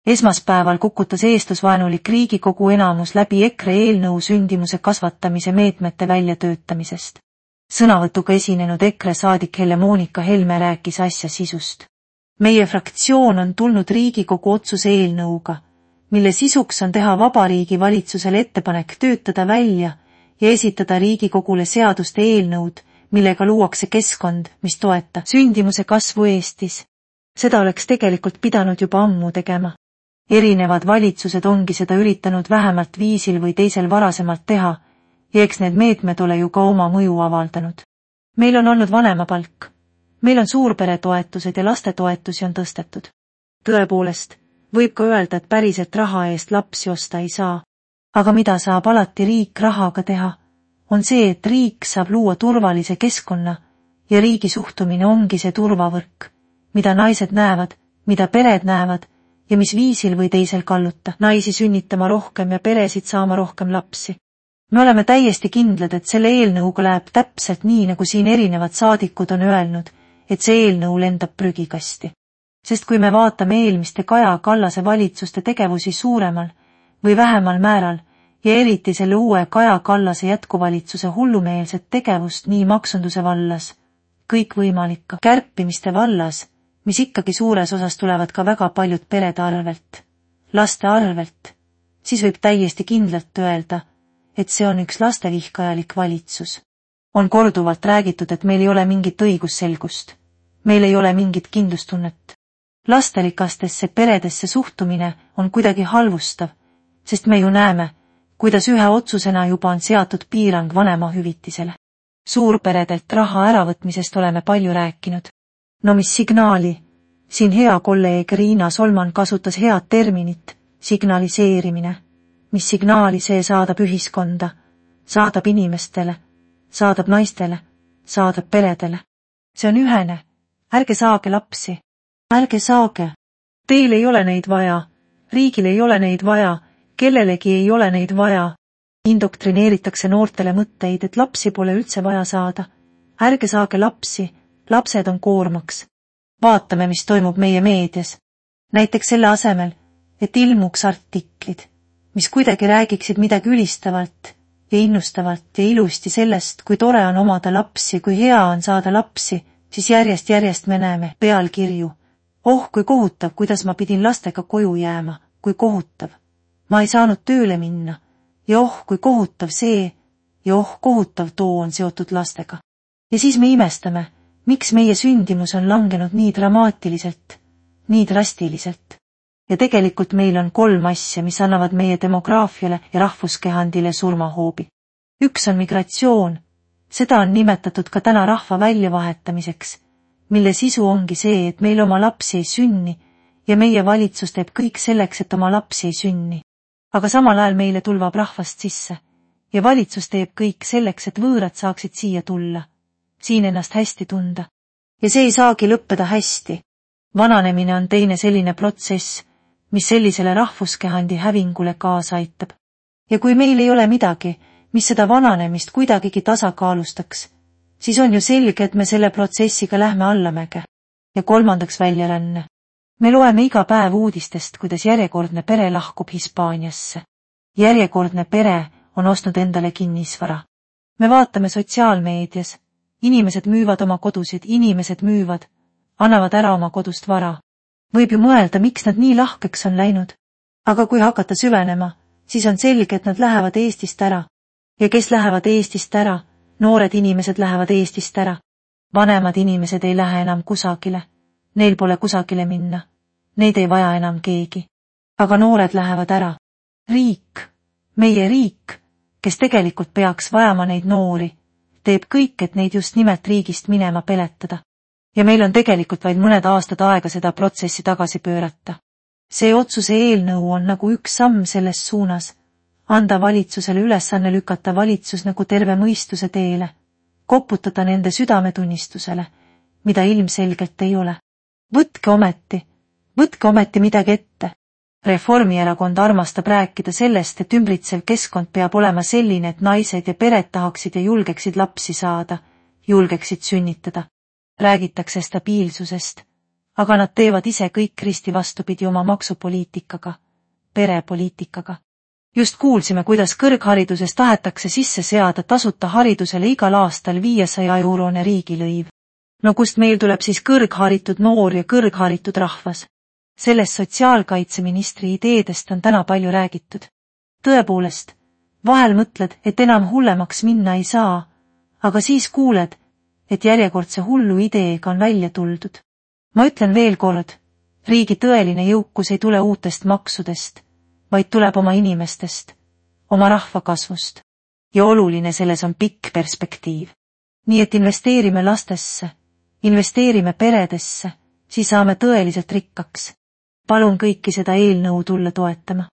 Esmaspäeval kukutas eestlasvaenulik Riigikogu enamus läbi EKRE eelnõu sündimuse kasvatamise meetmete väljatöötamisest. Sõnavõtuga esinenud EKRE saadik Helle-Moonika Helme rääkis asja sisust. Meie fraktsioon on tulnud Riigikogu otsuse eelnõuga, mille sisuks on teha Vabariigi Valitsusele ettepanek töötada välja ja esitada Riigikogule seaduste eelnõud, millega luuakse keskkond, mis toetab sündimuse kasvu Eestis. Seda oleks tegelikult pidanud juba ammu tegema. Erinevad valitsused ongi seda üritanud vähemalt viisil või teisel varasemalt teha, ja eks need meetmed ole ju ka oma mõju avaldanud. Meil on olnud vanemapalk. Meil on suurperetoetused ja lastetoetusi on tõstetud. Tõepoolest, võib ka öelda, et päriselt raha eest lapsi osta ei saa. Aga mida saab alati riik rahaga teha, on see, et riik saab luua turvalise keskkonna ja riigi suhtumine ongi see turvavõrk, mida naised näevad, mida pered näevad ja mis viisil või teisel kalluta naisi sünnitama rohkem ja peresid saama rohkem lapsi. Me oleme täiesti kindlad, et selle eelnõuga läheb täpselt nii, nagu siin erinevad saadikud on öelnud, et see eelnõu lendab prügikasti. Sest kui me vaatame eelmiste Kaja Kallase valitsuste tegevusi suuremal või vähemal määral ja eriti selle uue Kaja Kallase jätkuvalitsuse hullumeelset tegevust nii maksunduse vallas, kõikvõimalike kärpimiste vallas, mis ikkagi suures osas tulevad ka väga paljud perede arvelt, laste arvelt, siis võib täiesti kindlalt öelda, et see on üks lastevihkajalik valitsus. On korduvalt räägitud, et meil ei ole mingit õigusselgust. Meil ei ole mingit kindlustunnet. Lasterikastesse peredesse suhtumine on kuidagi halvustav, sest me ju näeme, kuidas ühe otsusena juba on seatud piirang vanemahüvitisele. Suurperedelt raha äravõtmisest oleme palju rääkinud. No mis signaali? Siin hea kolleeg Riina Solman kasutas head terminit, signaliseerimine. Mis signaali see saadab ühiskonda, saadab inimestele, saadab naistele, saadab peredele. See on ühene. Ärge saage lapsi. Ärge saage. Teil ei ole neid vaja. Riigil ei ole neid vaja. Kellelegi ei ole neid vaja. Indoktrineeritakse noortele mõtteid, et lapsi pole üldse vaja saada. Ärge saage lapsi. Lapsed on koormaks. Vaatame, mis toimub meie meedias. Näiteks selle asemel, et ilmuks artiklid, mis kuidagi räägiksid midagi ülistavalt ja innustavalt ja ilusti sellest, kui tore on omada lapsi, kui hea on saada lapsi, siis järjest me näeme pealkirju. Oh, kui kohutav, kuidas ma pidin lastega koju jääma, kui kohutav. Ma ei saanud tööle minna ja oh, kui kohutav see ja oh, kohutav too on seotud lastega. Ja siis me imestame, miks meie sündimus on langenud nii dramaatiliselt, nii drastiliselt. Ja tegelikult meil on 3 asja, mis annavad meie demograafiale ja rahvuskehandile surmahoobi. Üks on migratsioon. Seda on nimetatud ka täna rahva väljavahetamiseks, mille sisu ongi see, et meil oma lapsi ei sünni ja meie valitsus teeb kõik selleks, et oma lapsi ei sünni. Aga samal ajal meile tulvab rahvast sisse ja valitsus teeb kõik selleks, et võõrad saaksid siia tulla, siin ennast hästi tunda. Ja see ei saagi lõppeda hästi. Vananemine on teine selline protsess, mis sellisele rahvuskehandi hävingule kaasa aitab. Ja kui meil ei ole midagi, mis seda vananemist kuidagigi tasakaalustaks, siis on ju selge, et me selle protsessiga lähme allamäge. Ja 3. väljaränne. Me loeme iga päev uudistest, kuidas järjekordne pere lahkub Hispaaniasse. Järjekordne pere on ostnud endale kinnisvara. Me vaatame sotsiaalmeedias. Inimesed müüvad oma kodusid, inimesed müüvad, annavad ära oma kodust vara. Võib ju mõelda, miks nad nii lahkeks on läinud. Aga kui hakata süvenema, siis on selge, et nad lähevad Eestist ära. Ja kes lähevad Eestist ära? Noored inimesed lähevad Eestist ära. Vanemad inimesed ei lähe enam kusagile. Neil pole kusagile minna. Neid ei vaja enam keegi. Aga noored lähevad ära. Riik, meie riik, kes tegelikult peaks vajama neid noori, teeb kõik, et neid just nimelt riigist minema peletada. Ja meil on tegelikult vaid mõned aastad aega seda protsessi tagasi pöörata. See otsuse eelnõu on nagu üks samm selles suunas, anda valitsusele ülesanne lükata valitsus nagu terve mõistuse teele, koputada nende südametunnistusele, mida ilmselgelt ei ole. Võtke ometi midagi ette. Reformierakond armastab rääkida sellest, et ümbritsev keskkond peab olema selline, et naised ja pered tahaksid ja julgeksid lapsi saada, julgeksid sünnitada. Räägitakse stabiilsusest, aga nad teevad ise kõik risti vastupidi oma maksupoliitikaga, perepoliitikaga. Just kuulsime, kuidas kõrghariduses tahetakse sisse seada tasuta haridusele igal aastal 500-eurone riigilõiv. No kust meil tuleb siis kõrgharitud noor ja kõrgharitud rahvas? Sellest sotsiaalkaitseministri ideedest on täna palju räägitud. Tõepoolest, vahel mõtled, et enam hullemaks minna ei saa, aga siis kuuled, et järjekordse hullu ideega on välja tuldud. Ma ütlen veel kord, riigi tõeline jõukus ei tule uutest maksudest, vaid tuleb oma inimestest, oma rahva kasvust. Ja oluline selles on pikk perspektiiv. Nii et investeerime lastesse, investeerime peredesse, siis saame tõeliselt rikkaks. Palun kõiki seda eelnõu tulla toetama.